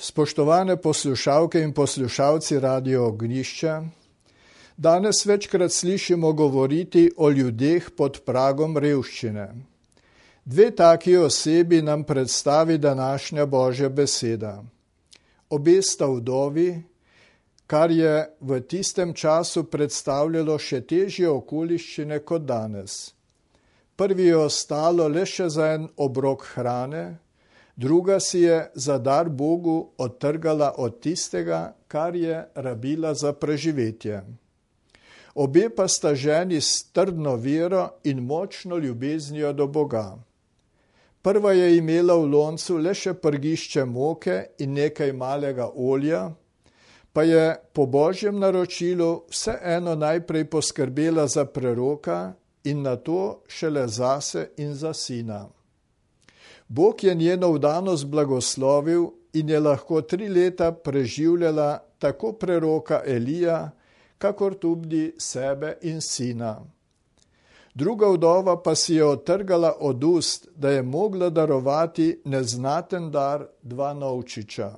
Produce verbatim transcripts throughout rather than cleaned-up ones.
Spoštovane poslušalke in poslušalci Radio Ognjišče, danes večkrat slišimo govoriti o ljudeh pod pragom revščine. Dve taki osebi nam predstavi današnja Božja beseda. Obe sta vdovi, kar je v tistem času predstavljalo še težje okoliščine kot danes. Prvi je ostalo le še za en obrok hrane, druga si je za dar Bogu odtrgala od tistega, kar je rabila za preživetje. Obe pa sta ženi s trdno vero in močno ljubeznijo do Boga. Prva je imela v loncu le še prgišče moke in nekaj malega olja, pa je po Božjem naročilu vseeno najprej poskrbela za preroka in nato šele zase in za sina. Bog je njeno vdanost blagoslovil in je lahko tri leta preživljala tako preroka Elija, kakor tudi sebe in sina. Druga vdova pa si je odtrgala od ust, da je mogla darovati neznaten dar dva novčiča.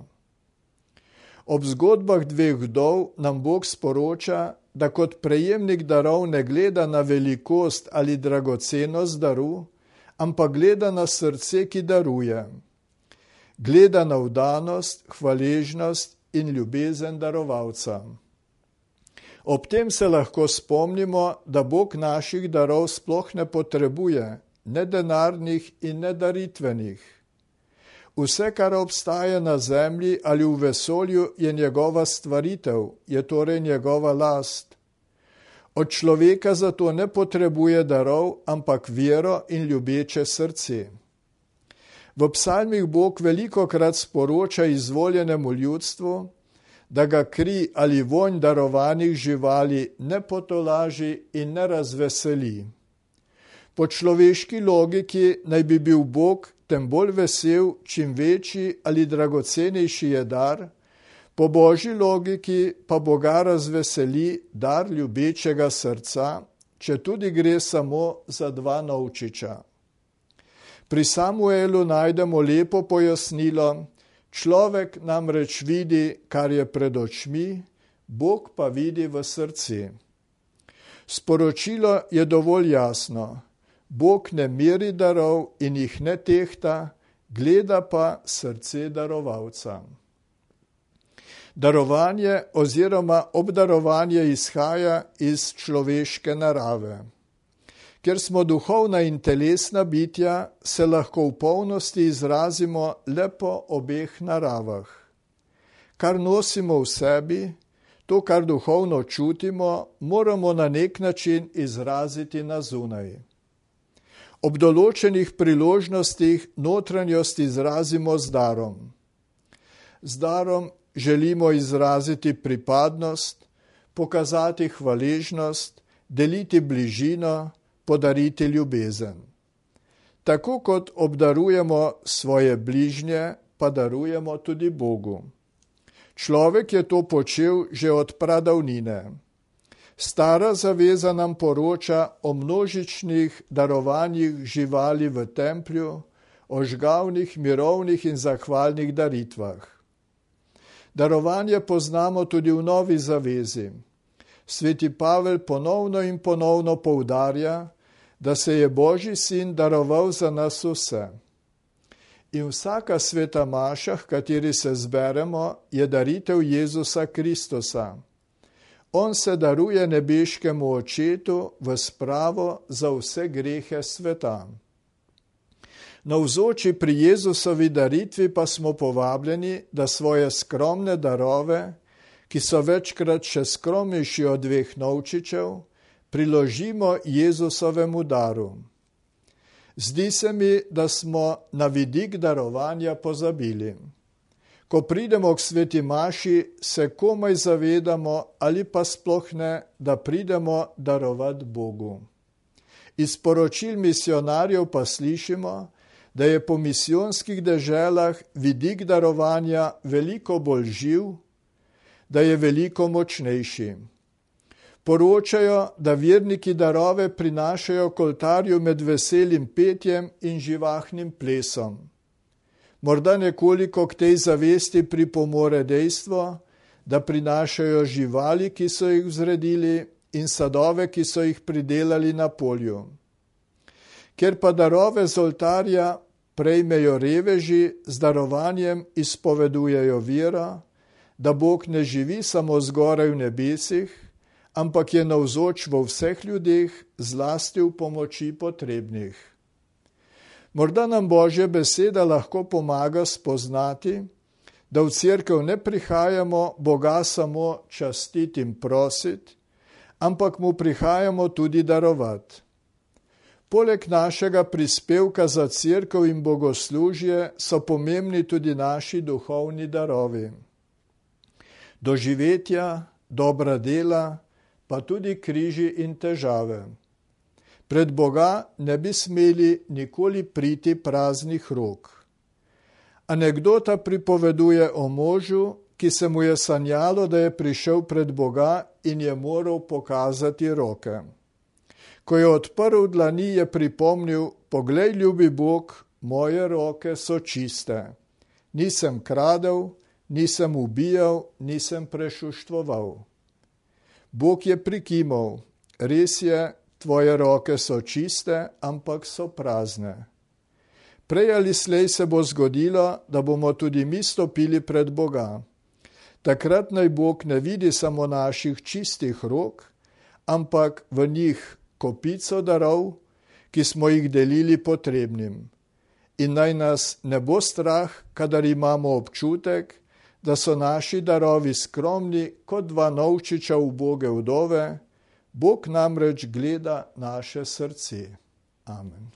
Ob zgodbah dveh vdov nam Bog sporoča, da kot prejemnik darov ne gleda na velikost ali dragocenost daru, ampak gleda na srce, ki daruje. Gleda na vdanost, hvaležnost in ljubezen darovalca. Ob tem se lahko spomnimo, da Bog naših darov sploh ne potrebuje, ne denarnih in ne daritvenih. Vse, kar obstaja na zemlji ali v vesolju, je njegova stvaritev, je torej njegova last. Od človeka zato ne potrebuje darov, ampak vero in ljubeče srce. V psalmih Bog velikokrat sporoča izvoljenemu ljudstvu, da ga kri ali vonj darovanih živali ne potolaži in ne razveseli. Po človeški logiki naj bi bil Bog tem bolj vesel, čim večji ali dragocenejši je dar, po Božji logiki pa Boga razveseli dar ljubečega srca, če tudi gre samo za dva novčiča. Pri Samuelu najdemo lepo pojasnilo, človek namreč vidi, kar je pred očmi, Bog pa vidi v srce. Sporočilo je dovolj jasno. Bog ne meri darov in jih ne tehta, gleda pa srce darovalca. Darovanje oziroma obdarovanje izhaja iz človeške narave. Ker smo duhovna in telesna bitja, se lahko v polnosti izrazimo le po obeh naravah. Kar nosimo v sebi, to, kar duhovno čutimo, moramo na nek način izraziti na zunaj. Ob določenih priložnostih notranjost izrazimo z darom. Z darom želimo izraziti pripadnost, pokazati hvaležnost, deliti bližino, podariti ljubezen. Tako kot obdarujemo svoje bližnje, pa darujemo tudi Bogu. Človek je to počel že od pradavnine. Stara zaveza nam poroča o množičnih darovanjih živali v templju, o žgavnih, mirovnih in zahvalnih daritvah. Darovanje poznamo tudi v Novi zavezi. Sveti Pavel ponovno in ponovno poudarja, da se je Božji sin daroval za nas vse. In vsaka sveta maša, v kateri se zberemo, je daritev Jezusa Kristusa. On se daruje nebeškemu Očetu v spravo za vse grehe sveta. Navzoči pri Jezusovi daritvi pa smo povabljeni, da svoje skromne darove, ki so večkrat še skromnejši od dveh novčičev, priložimo Jezusovemu daru. Zdi se mi, da smo na vidik darovanja pozabili. Ko pridemo k sveti maši, se komaj zavedamo ali pa sploh ne, da pridemo darovat Bogu. Iz poročil misionarjev pa slišimo, da je po misijonskih deželah vidik darovanja veliko bolj živ, da je veliko močnejši. Poročajo, da verniki darove prinašajo k oltarju med veselim petjem in živahnim plesom. Morda nekoliko k tej zavesti pripomore dejstvo, da prinašajo živali, ki so jih vzredili, in sadove, ki so jih pridelali na polju. Ker pa darove z oltarja prejmejo reveži, z darovanjem izpovedujejo vero, da Bog ne živi samo zgoraj v nebesih, ampak je navzoč vo vseh ljudeh, zlasti v pomoči potrebnih. Morda nam Božja beseda lahko pomaga spoznati, da v cerkev ne prihajamo Boga samo častiti in prositi, ampak mu prihajamo tudi darovati. Poleg našega prispevka za cerkev in bogoslužje so pomembni tudi naši duhovni darovi. Doživetja, dobra dela, pa tudi križi in težave. Pred Boga ne bi smeli nikoli priti praznih rok. Anekdota pripoveduje o možu, ki se mu je sanjalo, da je prišel pred Boga in je moral pokazati roke. Ko je odprl dlani, je pripomnil: poglej, ljubi Bog, moje roke so čiste. Nisem kradel, nisem ubijal, nisem prešuštvoval. Bog je prikimal: res je, tvoje roke so čiste, ampak so prazne. Prej ali slej se bo zgodilo, da bomo tudi mi stopili pred Boga. Takrat naj Bog ne vidi samo naših čistih rok, ampak v njih kopico darov, ki smo jih delili potrebnim. In naj nas ne bo strah, kadar imamo občutek, da so naši darovi skromni kot dva novčiča uboge vdove, Bog namreč gleda naše srce. Amen.